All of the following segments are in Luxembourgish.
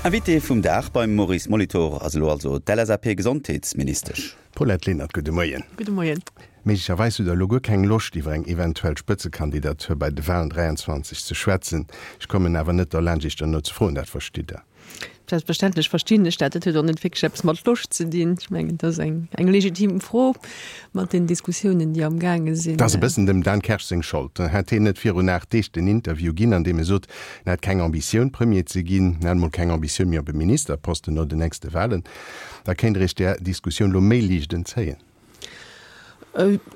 Invité vum Dag beim Maurice Molitor ass elo also d'LSAP-Gesondheetsministesch. Paulette Lenert, gudde Moien. Gudde Moien. Méiglecherweis hutt Der elo guer keng Loscht iwwer eng eventuell Spëtzekandidatur bei de Wahlen 23 ze schwätzen. Ech kommen awer net derlaanscht Iech derno ze froen, dat verstitt Der. Selbstverständlech verstinn ech dat. Dat huet och net wierklech eppes mat Loscht ze dinn. Ech mengen, dat ass eng, eng legitim Fro mat den Diskussiounen, déi amgaange sinn. Dat ass e bëssen dem Dan Kersch seng Schold. Hätt heen net virun 8 Deeg den Interview ginn, an deem e sot, en hätt keng Ambitioun Premier ze ginn, en hätt emol keng Ambitioun méi op e Ministerposten no den nächste Wahlen, da kéint Der Iech där Diskussioun elo méi liicht entzéien.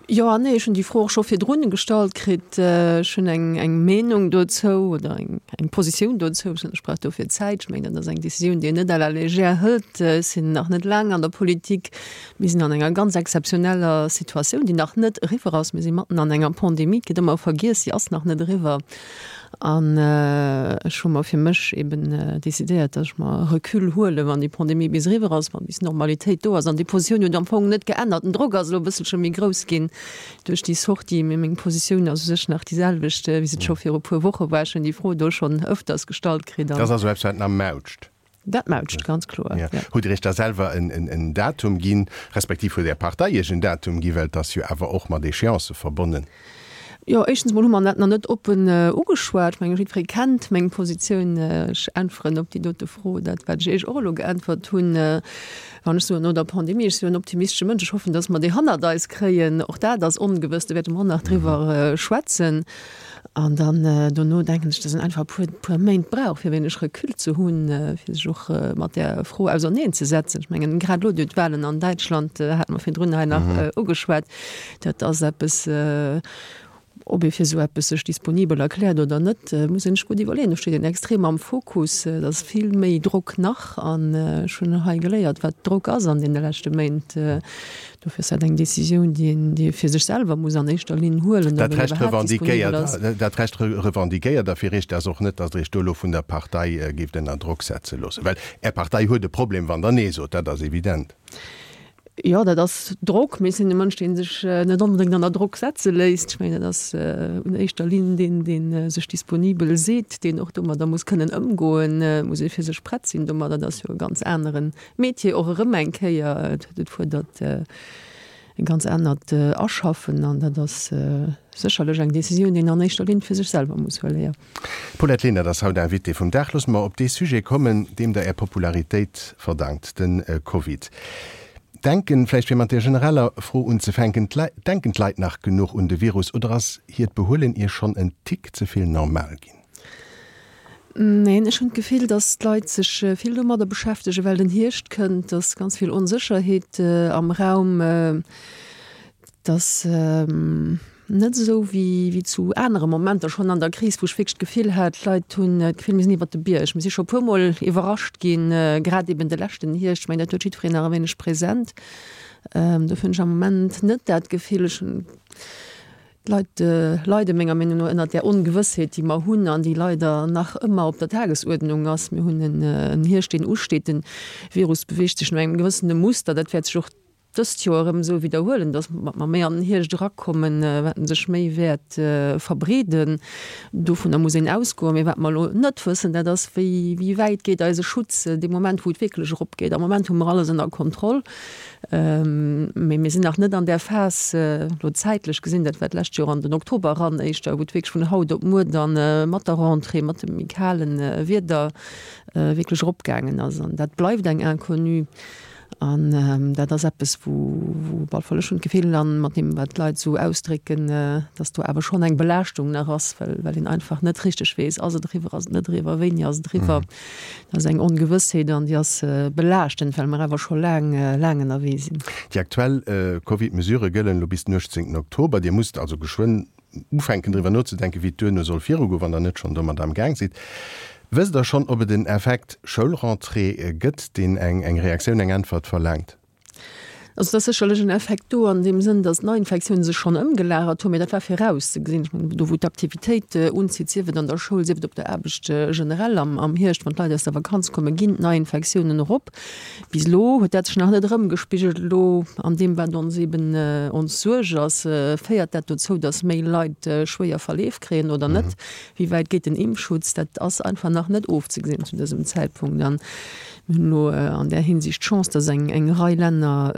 Jo an nee. Ech hunn déi Fro och scho virdrun gestallt kritt. Ech hunn eng, eng Meenung dozou oder eng, eng Positioun dozou. Ech brauch dofir Zäit. Ech mengen, dat ass eng Decisioun, déi een net à la légère hëlt. Ech sinn nach net laang an der Politik. Mir sinn an enger ganz exzeptioneller Situatioun, déi nach net eriwwer ass. Mir si matten an enger Pandemie. Et gëtt ëmmer vergiess, si ass nach net eriwwer. An ech hu mer fir mech eben decidéiert, datt ech mer Recul huelen, wann déi Pandemie bis eriwwer ass, wann bis Normalitéit do ass. An déi Positioun huet am Fong net geännert. Den Drock ass elo e bësselche méi grouss ginn duerch déi Sortie, mee meng Positioun ass u sech nach déi selwecht, wéi se et scho viru puer Woche war. Ech hunn déi Fro do schonn ëfters gestallt kritt. Dat ass also eppes, wat nach mautscht? Dat mautscht, ganz kloer, jo. Hutt Dir Iech da selwer en Datum ginn, respektiv huet Är Partei Iech en Datum ginn, well et ass jo awer och mat Échéancë verbonnen? Jo, éischtens emol hu mer dat nach net oppen ugeschwat. Ech mengen, jiddweree kennt meng Positioun. Ech äntweren op déi dote Fro dat, wat ech Iech och elo geäntwert hunn. Wann ech soen, no der Pandemie, ech sinn jo en optimistesche Mënsch, ech hoffen, datt mer déi hannert eis kréien. Och dat ass ongewëss, do wäerte mer och nach driwwer schwätzen. An dann dono denken ech, dass een einfach e puer, puer Méint brauch, fir e wéineg Recul ze hunn, fir sech och mat där Fro auserneenzesetzen. Ech mengen, grad elo, duerch d'Wahlen an Däitschland, hate mer virdrun hei nach ugeschwat, dat ass eppes, ob ee fir esou eppes sech disponibel erkläert oder net, muss een sech gutt iwwerleeën. Do steet een extrem am Fokus, et ass vill méi Drock nach. An ech hunn hei geléiert, wat Drock ass an deene leschte Méint. Dofir ass dat eng Décisioun, déi een, déi ee fir sech selwer muss an éischter Linn huelen, ob Dat een Recht iwwerhaapt disponibel ass. revendiquéiert, dat Recht revendiquéiert Der fir Iech dat och net, datt Der Iech do elo vun der Partei géift ënner Drock setze loossen. Well Är Partei huet e Problem, wann Der Nee sot, dat ass evident. Jo, dat ass Drock, mee ech sinn e Mënsch, dee sech net onbedéngt ënner Drock setze léisst. Ech mengen, dat ass un éischter Linn deen, dee sech disponibel seet, deen och domadder muss kënnen ëmgoen, muss ee fir sech prett sinn domadder. Dat ass jo e ganz aneren Métier och erëm eng Kéier, et fuerdert e ganz anert Aschaffen an dat ass sécherlech eng Décisioun, déi een an éischter Linn fir sech selwer muss huelen, jo. D'Paulette Lenert ass haut Invitée vum Dag. Loosse mer op dee Sujet kommen, deem Der Är Popularitéit verdankt, de Covid. Denken, vläicht fir mat där genereller Fro unzefänken, denken d'Leit nach genuch un de Virus oder ass hiert Behuelen Iech schonn en Tick ze vill normal ginn? Neen, ech hunn d'Gefill, datt d'Leit sech vill domadder beschäftegen, well den Hierscht kënnt, datt ganz vill Onsécherheet am Raum, datt net esou wéi zu anere Momenter schonn an der Kris, wou ech wierklech d'Gefill hat, d'Leit hunn d'Gefill, mir sinn iwwert de Bierg. Mir si scho e puermol iwwerrascht ginn, grad eben de leschten Hierscht. Ech mengen, dat huet jiddwereen nach e wéineg present. Dofir hunn ech am Moment net dat Gefill. Ech hunn. D'Leit leide menger Meenung no ënnert där Ongewëssheet, déi mer hunn an déi leider nach ëmmer op der Tagesuerdnung ass. Mir hunn en Hierscht, deen usteet. De Virus beweegt sech no engem gewëssene Muster. Dat wäert sech och dëst Joer erëm esou widderhuelen, datt wat mer méi an den Hierscht erakommen, wat en sech méi wäert verbreeden. Dovunner muss een ausgoen. Mee wat mer elo net wëssen, dat ass, wéi wäit geet eise Schutz dee Moment, wou et wierklech eropgeet. Am Moment hu mer alles ënner Kontroll. Mee mir sinn nach net an där Phas, elo zäitlech gesinn, dat war d'lescht Joer an den Oktober eran éischter, wou et wierklech vun haut op muer dann mat der Rentrée, mat dem méi kale Wieder wierklech eropgaangen ass. An dat bleift eng Inconnue. An dat ass eppes, wou, wou op alle Fall ech hunn d'Gefill, an mat deem, wat d'Leit esou ausdrécken, dass do awer schonn eng Belaaschtung nach ass, well, well een einfach net richteg weess, ass et eriwwer, ass et net eriwwer, wéini ass et eriwwer. Dat ass eng Ongewëssheet an déi ass belaaschtend, well mer awer scho laang, laang ënnerwee sinn. Déi aktuell Covid-Mesurë gëllen elo bis den 18 Oktober. Dir musst also geschwënn ufänken driwwer nozedenken, wéi et duerno soll virugoen, wann der net schonn domat am Gaang sidd. Wësst der schonn, ob et en Effekt Schoulrentrée gëtt, deen eng Reaktioun, eng Äntwert verlaangt? Also et ass sécherlech en Effekt do an deem Sënn, datt d'Neiinfektiounen sech schonn ëmgelagert hunn, mee dat war virauszegesinn. Ech mengen, do wou d'Aktivitéit unzitt, sief et an der Schoul, sief et op der Aarbecht generell am am Hierscht, wann d'Leit aus der Vakanz kommen, ginn d'Neiinfektiounen erop. Bis elo huet dat sech nach net erëmgespigelt. Elo an deem, wat ons eeben ons Suerg ass, féiert dat dozou, datt méi Leit schwéier Verleef kréien oder net? Wéi wäit geet den Impfschutz? Dat ass einfach nach net ofzegesinn zu dësem Zäitpunkt. An Mir hunn elo an där Hinsicht d'Chance, dass eng eng Rei Länner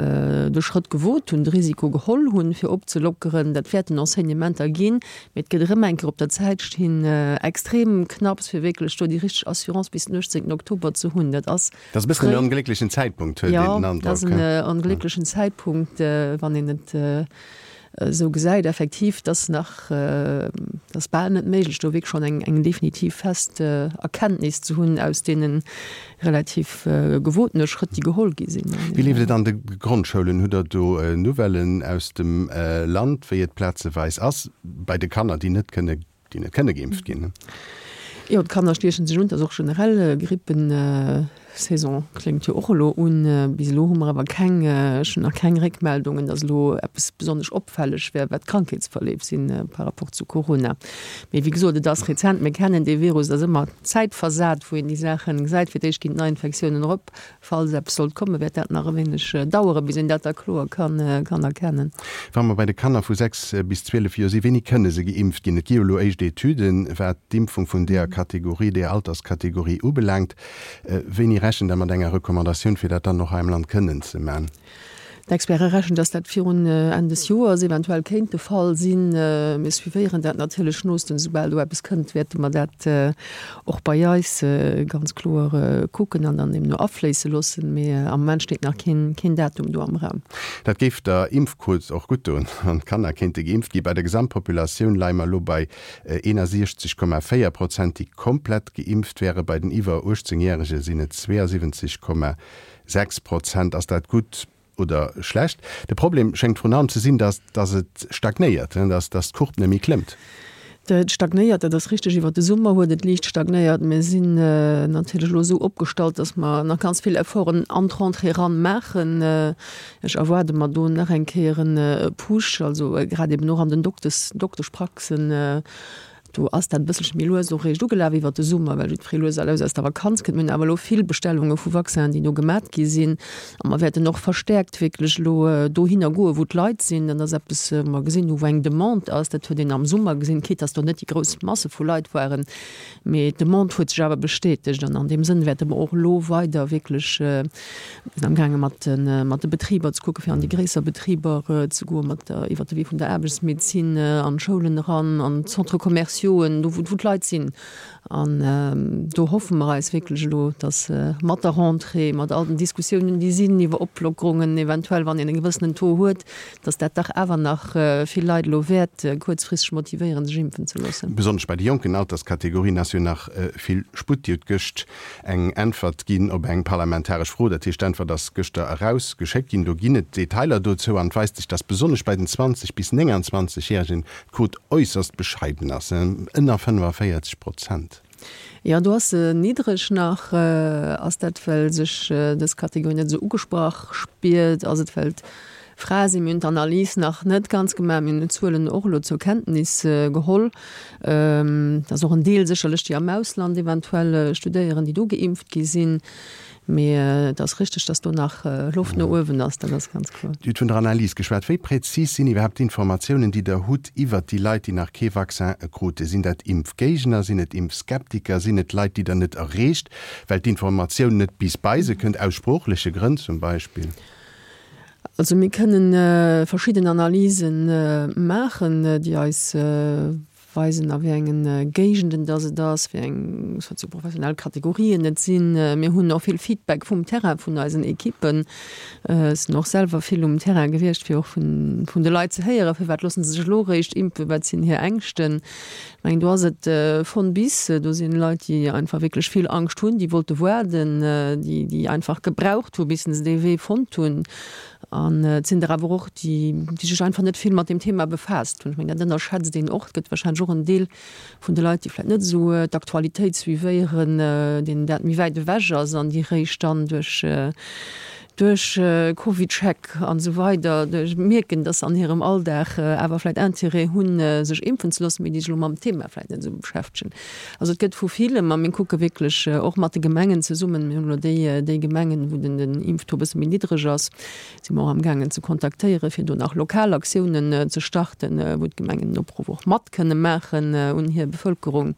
de Schrëtt gewot hunn, de Risiko geholl hunn, fir opzelockeren. Dat wäerten Enseignementer ginn, mee et gëtt erëm eng Kéier op der Zäit stinn, extrem knapps, fir wierklech do déi richteg Assurance bis den 18 Oktober ze hunn. Dat ass Dat ass e bëssen en onglécklechen Zäitpunkt, huet een den Androck. Jo, dat ass en onglécklechen Zäitpunkt, wann een et esou gesäit effektiv, dass nach, dass bal net méiglech do wierklech schonn eng eng definitiv fest Erkenntnis ze hunn aus deene relativ gewotene Schrëtt, déi geholl gi sinn. Wéi leeft et an de Grondschoulen? Hutt Der do Nouvellen aus dem Land, wéi et plazeweis ass bei de Kanner, déi net kënne déi net kënne geimpft ginn. Jo, d'Kanner stiechen sech un. Et ass och generell Grippensaison kléngt jo och elo un. Bis elo hu mer awer keng, ech hunn nach keng Réckmeldungen, datt elo eppes besonnesch opfälleg wär, wat d'Krankheetsverleef si par rapport zu Corona. Mee wéi gesot, et ass rezent, mir kennen dee Virus, et ass ëmmer zäitversat, wou een déi Saache gesäit. Fir d'éischt ginn d'Neiinfektiounen erop, Falls eppes sollt kommen, wäert dat nach e wéineg daueren, bis een dat da kloer kann erkennen. Wa mer bei de Kanner vu 6 bis 12 Joer sinn, wéini kënne se geimpft ginn? Et gi jo elo éischt Etüden, wat d'Impfung vun deeër Kategorie, deeër Alterskategorie ubelaangt. Wéini rechent Der mat enger Recommandatioun, fir dat dann och hei am Land kënnen ze man? D'Experte rechnen, dass dat virun Enn des Joers eventuell kéint de Fall sinn. Mir suivéieren dat natierlech noosten. Soubal do eppes kënnt, wäerte mer dat och bei eis ganz kloer kucken an dann deemno afléisse loossen. Mee am Moment steet nach keen Datum do am Raum. Dat géif der Impfquot och gutt doen, wann d'Kanner kéinte geimpft ginn. Bei der Gesamtpopulatioun leie mer elo bei 61,4 Prozent, déi komplett geimpft wären. Bei den iwwer 18 Järege sinn et 72,6 Prozent. Ass dat gutt oder schlecht? De Problem schéngt vrun allem ze sinn, datt datt et stagnéiert, datt datt d'Courbe net méi klëmmt. Et stagnéiert, dat ass richteg. Iwwer de Summer huet et liicht stagnéiert. Mir sinn natierlech elo esou opgestallt, datt mer nach ganz vill Efforten an d'Rentrée eran maachen. Ech erwaarde mer do nach eng Kéier e Push, also grad eben och an den Doktes, Dokteschpraxen. Do ass dat e bësselche méi lues och réischt ugelaf iwwert de Summer, well jiddweree lues a lues aus der Vakanz kënnt. Mir hunn awer elo vill Bestellunge vu Vaccinen, déi do gemat gi sinn. A mer wäerten och verstäerkt wierklech elo dohinner goen, wou d'Leit sinn. Dat ass eppes, wou mer gesinn hu wou eng Demande ass. Dat huet een am Summer gesinn, quitte dass do net déi grouss Masse vu Leit waren. Mee d'Demande huet sech awer bestätegt. An an deem Sënn wäerte mer och elo weider wierklech, mir sinn amgaange mat de, mat de Betriber ze kucken, fir an déi gréisser Betriber ze goen, mat der, iwwert de Wee vun der Aarbechtsmedezin, an d'Schoulen eran, an d'Centres commerciauxen, do wou, wou d'Leit sinn. An do hoffe mer eis wierklech elo, dass mat der Rentrée, mat all den Diskussiounen, déi sinn iwwer Oplockerungen eventuell, wann een e gewëssenen Taux huet, dass dat dach awer nach vill Leit elo wäert kuerzfristeg motivéieren, sech impfen ze loossen. Besonnesch bei de jonken Alterskategorien ass jo nach vill Sputt. Dir hutt gëscht eng Äntwert ginn op eng parlamentaresch Fro, dat heescht d'Äntwert ass gëschter eraus geschéckt ginn. Do ginn et Detailer dozou an et weist sech, dass besonnesch bei den 20 bis 29 Järegen d'Quot äusserst bescheiden ass, ënner 45 Prozent. Jo, do ass se niddreg nach. Ass dat, well sech dës Kategorie net esou ugesprach spiert? Ass et, well d'Frae sinn? Mir hunn d'Analys nach net ganz gemaach. Mir hunn d'Zuelen och elo zur Kenntnis geholl. Et ass och en Deel sécherlech, déi am Ausland eventuell studéieren, déi do geimpft gi sinn. Mee et ass richteg, dass do nach Loft no uewen ass, dat ass ganz kloer. Dir hutt vun der Analys geschwat. Wéi präzis sinn iwwerhaapt d'Informatiounen, déi Der hutt iwwert déi Leit, déi nach kee Vaccin krute? Sinn dat Impfgéigner? Sinn et Impfskeptiker? Sinn et Leit, déi Der net erreecht, well d'Informatioun net bis bei se kënnt, aus sproochleche Grënn zum Beispill? Also mir kënnen verschidden Analyse maachen, déi eis weisen, a wéi engen Géigenden dass et ass, wéi eng sozioprofessionell Kategorien et sinn. Mir hunn och vill Feedback vum Terrain, vun eisen Ekippen. Ech sinn och selwer vill um Terrain gewiescht, fir och vun vun de Leit ze héieren, firwat loosse se sech elo eréischt impfen, wat sinn hir Ängschten. Ech mengen, do ass et von bis. Do sinn Leit, déi einfach wierklech vill Angscht hunn, déi wollte waarden, déi déi einfach gebraucht hu bis se dee Wee fonnt hunn. An et sinn der awer och, déi sech einfach net vill mat deem Thema befaasst hunn. Ech mengen, dat ënnerschätzt een och. Et gëtt warscheinlech och en Deel vun de Leit, déi vläicht net esou d'Aktualitéit suivéieren, deenen dat méi wäit ewech ass an déi réischt dann duerch. Duerch CovidCheck an esou weider mierken, dass se an hirem Alldag awer vläicht Intérêt hunn, sech impfen ze loossen, mee déi sech elo mam Thema vläicht net esou beschäftegen. Also et gëtt vu villem, a mir kucke wierklech och mat de Gemengen zesummen, mir hunn elo déi, déi Gemengen, wou den, den Impftaux e bësse méi niddreg ass, si mer och amgaangen ze kontaktéieren, fir do nach lokal Aktiounen ze starten, wou d'Gemengen den Opruff och mat kënne maachen un hir Bevëlkerung.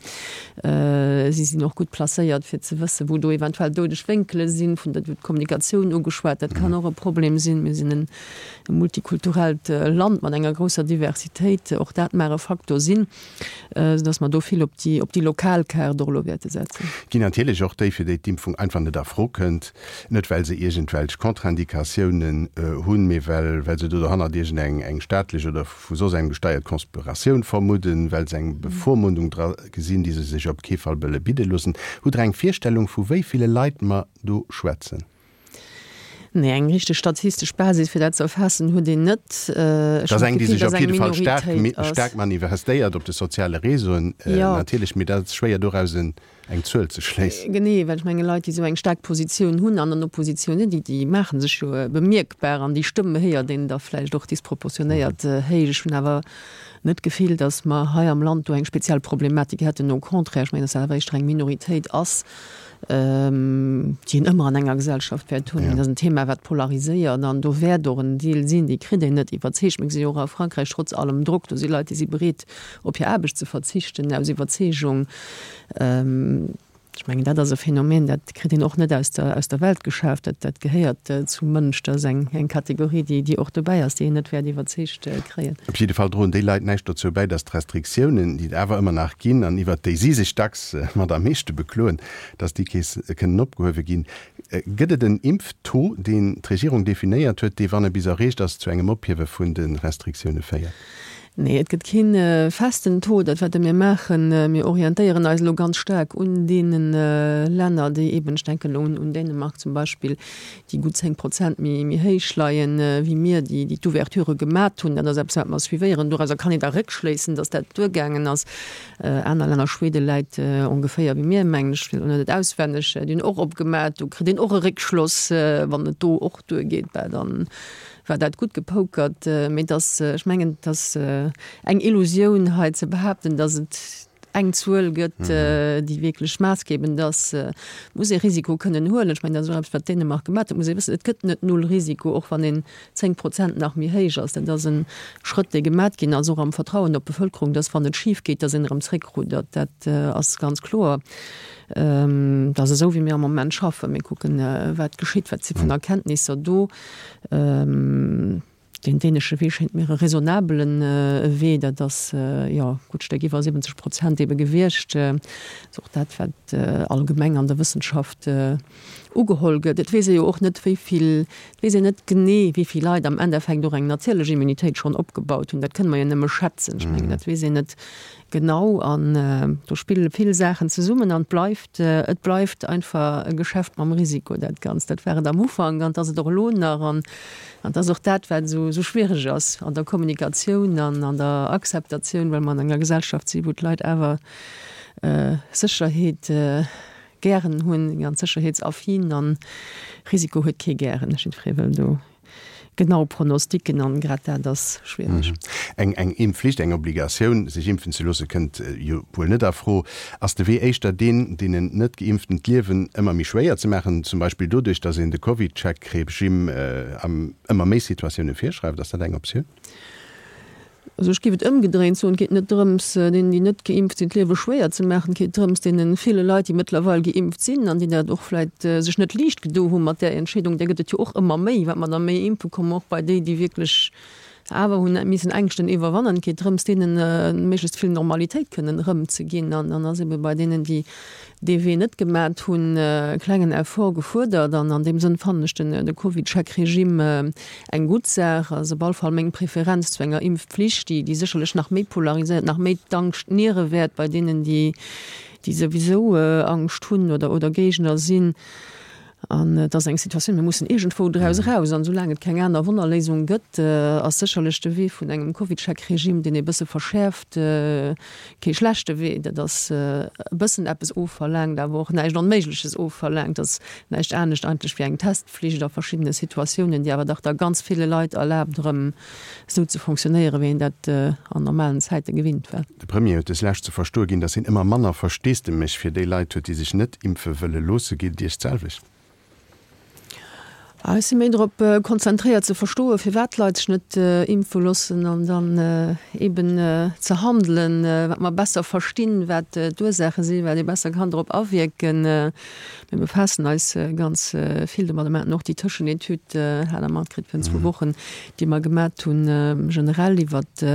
Si sinn och gutt placéiert, fir ze wëssen, wou do eventuell doudeg Wénkele sinn. Vun der, d'Kommunikatioun ugeschwat, dat kann och e Problem sinn. Mir sinn e multikulturellt Land mat enger grousser Diversitéit. Och dat mag e Faktor sinn, soudass mer do vill op déi, op déi lokal Kaart och elo wäerte setzen. Ginn natierlech och déi, fir déi d'Impfung einfach net a Fro kënnt, net well se iergendwelch Contre-indicatiounen hunn, mee well, well se do dohannert iergendeng eng staatlech oder vu soss engem gesteiert Konspiratioun vermudden, well se eng Bevormundung dra gesinn, déi se sech op kee Fall wëlle bidde loossen. Hutt Der eng Virstellung, vu wéi ville Leit mer do schwätzen? Nee, eng richteg statistesch Basis, fir dat ze erfaassen, huet een net. Ech Dat ass hunn eng, déi d'Gefill, sech op dass eng jidde Fall staark, Minoritéit ass. staark manifestéiert op de soziale Réseauen, Jo. natierlech, mee dat ass schwéier doraus en eng Zuel ze schléissen. Genee, well ech menge Leit, déi esou eng staark Positioun hunn an an Oppositioun sinn, déi, déi maache sech jo bemierkbar an déi Stëmm héiert een da vläicht och disproportionéiert héich. Ech hunn awer net d'Gefill, datt mer hei am Land do eng speziell Problematik hätten. Au contraire, ech mengen, datt dat awer éischter eng Minoritéit ass, déi een ëmmer an enger Gesellschaft wäert hunn. Dat ass en Thema, wat polariséiert an do wäert och en Deel sinn, déi kritt een net iwwerzeegt. Mir gesi jo och a Frankräich, trotz allem Drock, do si Leit, déi si bereet, op hir Aarbecht ze verzichten aus Iwwerzeegung. Ech mengen, dat ass e Phänomen, dat kritt een och net aus der, aus der Welt geschaaft. Dat, dat gehéiert zum Mënsch. Dat ass eng, eng Kategorie, déi, déi och dobäi ass, déi een net wäert iwwerzeegt kréien. Op jidde Fall droen déi Leit näischt dozou bäi, datt d'Restriktiounen, déi et awer ëmmer nach ginn an iwwert déi si sech dacks mat am meeschte bekloen, datt déi kees kënnen opgehuewe ginn. Gëtt et en Impftaux, deen d'Regierung definéiert huet, dee, wann e bis erreecht ass, zu engem Ophiewe vun de Restriktioune féiert? Nee, et gëtt kee festen Taux. Dat, wat mir maachen, mir orientéieren eis elo ganz staark un deene Länner, déi eeben, ech denken elo un Dänemark zum Beispill, déi gutt 10 Prozent méi héich leien wéi mir, déi d'Ouverture gemat hunn. Dat ass eppes, wat mer suivéieren. Dorauser kann een da réckschléissen, datt dat duergaangen ass. Aner Länner, Schwede läit ongeféier wéi mir, mengen ech, ech weess elo net auswenneg, déi hunn och opgemat. Do kritt een och e Réckschloss, wann et do och duergeet, bah dann war dat gutt gepokert, mee et ass, ech mengen, et ass eng Illusioun hei ze behaapten, datt et eng Zuel gëtt, déi wierklech maassgebend ass. Et muss ee Risiko kënnen huelen. Ech mengen, dat ass och eppes, wat Dänemark gemaach huet. Et muss ee wëssen, et gëtt net null Risiko, och wann een 10 Prozent nach méi héich ass. Dat ass e Schrëtt, dee gemat ginn ass, och am Vertrauen op d'Bevëlkerung, datt wann et schif geet, datt een erëm zréckruddert. Dat ass ganz kloer. Dat ass esou, wéi mir am Moment schaffen. Mir kucken, wat geschitt, wat si vun Erkenntnisser do. Deen dänesche Wee schéngt mir e raisonnabelen Wee. Dat ass, jo, gutt Stéck iwwer 70 Prozent ebe gewiescht. Dat ass och dat, wat allgemeng an der Wëssenschaft ugeholl gëtt. Et weess ee jo och net, wéi vill, et weess een net genee, wéi vill Leit am Endeffekt och eng natierlech Immunitéit schonn opgebaut hunn. Dat kënne mer jo nëmme schätzen. Ech mengen, dat weess een net Genau, an do spille vill Saachen zesummen an et bleift, et bleift einfach e Geschäft mam Risiko, dat Ganzt. Dat war et am Ufank an et ass et och elo nach an et ass och dat, wat esou esou schwiereg ass an der Kommunikatioun an an der Akzeptatioun, well mer an enger Gesellschaft si wou d'Leit awer Sécherheet gären hunn, ganz sécherheetsaffin an Risiko huet kee gären. Jiddweree wëll do genau Pronosticken an grad dat ass schwiereg. Eng eng Impfflicht, eng Obligatioun, sech impfen ze loosse kënnt jo wuel net a Fro. Ass de Wee éischter deen, deenen Net-Geimpften d'Liewen ëmmer méi schwéier ze maachen, zum Beispill doduerch, datt een de CovidCheck-Regime an ëmmer méi Situatioune virschreift? Ass dat eng Optioun? Also ech géif et ëmgedréint soen, Et geet net drëms, deenen, déi net geimpft sinn, d'Liewe schwéier ze maachen. Et geet drëms, deene ville Leit, déi mëttlerweil geimpft sinn an déi dat och vläicht sech net liicht gedo hu mat där Entscheedung, där gëtt et jo och ëmmer méi, wat mer da méi impfe kommen, och bei déi, déi wierklech awer hunn missen Ängschten iwwerwannen. Et geet drëms, deene méiglechst vill Normalitéit kënnen erëmzeginn. An dann ass ebe bei deenen, déi dee Wee net gemat hunn, e klengen Effort gefuerdert. An an deem Sënn fannen ech den de CovidCheck-Regime eng gutt Saach. Ass op all Fall meng Preferenz zu enger Impfpflicht, déi déi sécherlech nach méi polariséiert, nach méi d'Angscht niere wäert bei deenen, déi déi souwisou Angscht hunn oder oder Géigner sinn. An et ass eng Situatioun, mir mussen iergendwou draus eraus. An esoulaang et keng aner Wonnerléisung gëtt, ass sécherlech de Wee vun engem Covidcheck-Regime, deen ee bësse verschäerft, kee schlechte Wee. Dat ass e bëssen eppes ofverlaangt, awer och näischt Onméigleches ofverlaangt. Dat ass näischt anescht eigentlech wéi eng Testflicht a verschiddene Situatiounen, déi awer dach da ganz ville Leit erlaabt, erëm esou ze fonctionnéieren, wéi een dat an normalen Zäite gewinnt war. De Premier huet des Lescht ze verstoe ginn, datt hien ëmmer manner Versteesdemech fir déi Leit huet, déi sech net impfe wëlle loosse. Geet et Iech d'selwecht? Ech si méi drop konzentréiert ze verstoen, firwat d'Leit sech net impfe loossen an dann eben ze handelen, wat mer besser verstinn, wat d'Ursaache sinn, wat ee besser kann drop awierken. Mir befaassen eis ganz vill domadder. Mir haten och déi Tëschenetüd, hat Der matkritt virun zwou Wochen, déi mer gemat hunn, generell iwwert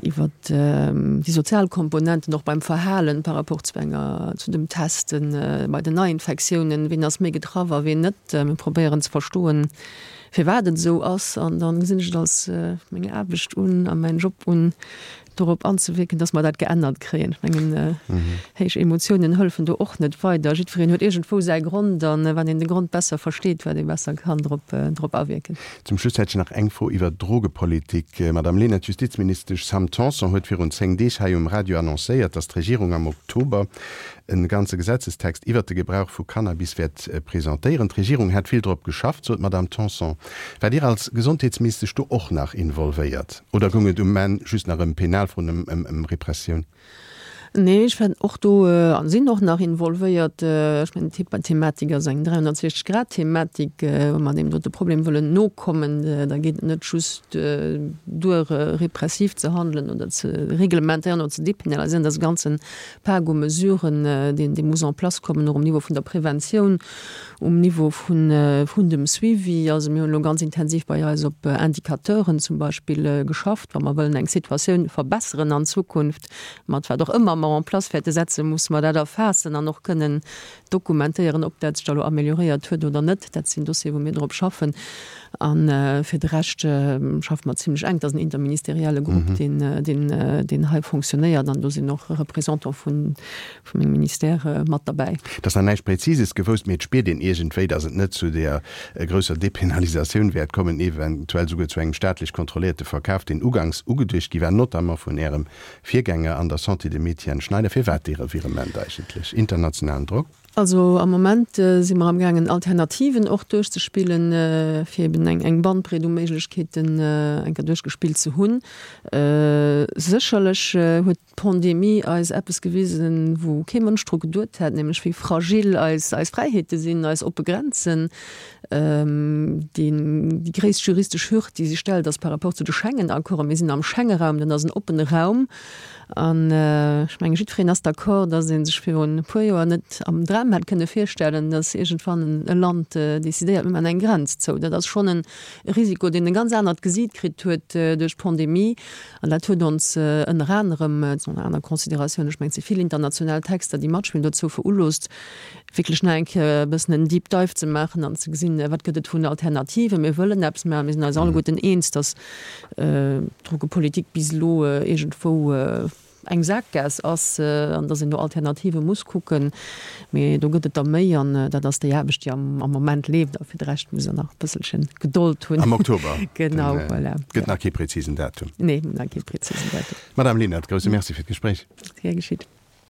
iwwert déi sozial Komponenten och beim Verhalen par rapport zu enger, zu dem Testen, bei den Neiinfektiounen, wien ass méi getraff a wien net. Mir probéieren ze verstoen, firwat et esou ass an dann gesinn ech et als meng Aarbecht un a mäin Job un, dorop anzewierken, dass mer dat geännert kréien. Ech mengen, héich Emotiounen hëllefen do och net weider. Jiddwereen huet iergendwou säi Grond an wann een de Grond besser versteet, wat ee besser kann drop, drop awierken. Zum Schluss hätt ech nach eng Fro iwwert d'Drogepolitik. Madame Lenert, d'Justizministesch Sam Tanson huet virun 10 Deeg hei um Radio annoncéiert, datt d'Regierung am Oktober e ganze Gesetzestext iwwert de Gebrauch vu Cannabis wäert presentéieren. D'Regierung hätt vill drop geschafft, sot d'Madame Tanson. Waart Dir als Gesondheetsministesch do och nach involvéiert oder goung et um Enn just nach ëm Penalfroen, ëm Repressioun? Nee, ech war och do a sinn och nach involvéiert. Ech mengen, d'Thematik ass eng 360 Grad Thematik. Wa mer deem dote Problem wëllen nokommen, da geet et net just duer, repressiv ze handelen oder ze reglementéieren oder ze depenaliséieren. Dat ass e ganze Pak u Mesuren, deen, dee muss en place kommen, och um Niveau vun der Preventioun, um Niveau vun, vun dem Suivi. Also mir hunn elo ganz intensiv bei eis op Indicateuren zum Beispill geschafft, wa mer wëllen eng Situatioun verbesseren an Zukunft, mat wat och ëmmer mer en place wäerte setzen, musse mer dat erfaassen an och kënnen dokumentéieren, ob dat sech da elo amélioréiert huet oder net. Dat sinn Dossieren, wou mir drop schaffen. A fir de Rescht schaffe mer zimlech enk. Dat ass en interministerielle Grupp, deen, deen, deen hei fonctionnéiert an do sinn och Représentants vun, vu mengem Ministère mat derbäi. Et ass nach näischt Präzises gewousst, mee et spiert een iergendwéi, datt et net zu där grousser Depenalisatioun wäert kommen, eventuell souguer zu engem staatlech kontrolléierte Verkaf, deen uganks ugeduecht gi war, notamment vun Ärem Virgänger an der Santé, dem Etienne Schneider. Firwat dee Revirement eigentlech? Internationalen Drock? Also am Moment si mer amgaangen Alternativen och duerchzespillen, fir eben eng Bandbreet u Méiglechkeeten eng Kéier duerchgespillt ze hunn. Sécherlech huet d'Pandemie eis eppes gewisen, wou kee Mënsch dru geduet hätt, nämlech wéi fragil eis Fräiheete sinn, eis oppe Grenzen. Déi gréisst juristesch Hürd, déi sech stellt, ass par rapport zu de Schengen-Accorden. Mir sinn am Schengeraum, dat ass en oppene Raum. An ech mengen, jiddwereen ass d'accord, datt ee sech virun e puer Joer net am Dram hätt kënne virstellen, datt iergendwann e Land decidéiert, mir maachen eng Grenz zou. Dat ass schonn e Risiko, deen e ganz anert Gesiit kritt huet duerch d'Pandemie. An dat huet ons ënner anerem, et sinn och nach aner Consideratiounen, ech mengen, et si vill international Texter, déi matspillen, dozou veruloosst, wierklech nach eng Kéier e bëssen en Deep Dive ze maachen an ze gesinn, wat gëtt et vun Alternativen. Mir wëllen eppes maachen. Mir sinn eis alleguerten eens, datt d'Drogepolitik bis elo iergendwou eng Saakgaass ass an datt een no Alternative muss kucken. Mee do gëtt et der méi an dat ass déi Aarbecht, déi am Moment leeft. A fir de Rescht muss Der nach e bësselche Gedold hunn. Am Oktober. Genau, voilà. Gëtt nach kee prezisen Datum. Nee, nach kee prezisen Datum. Madame Lenert, grousse Merci fir d'Gespréich. Gär geschitt.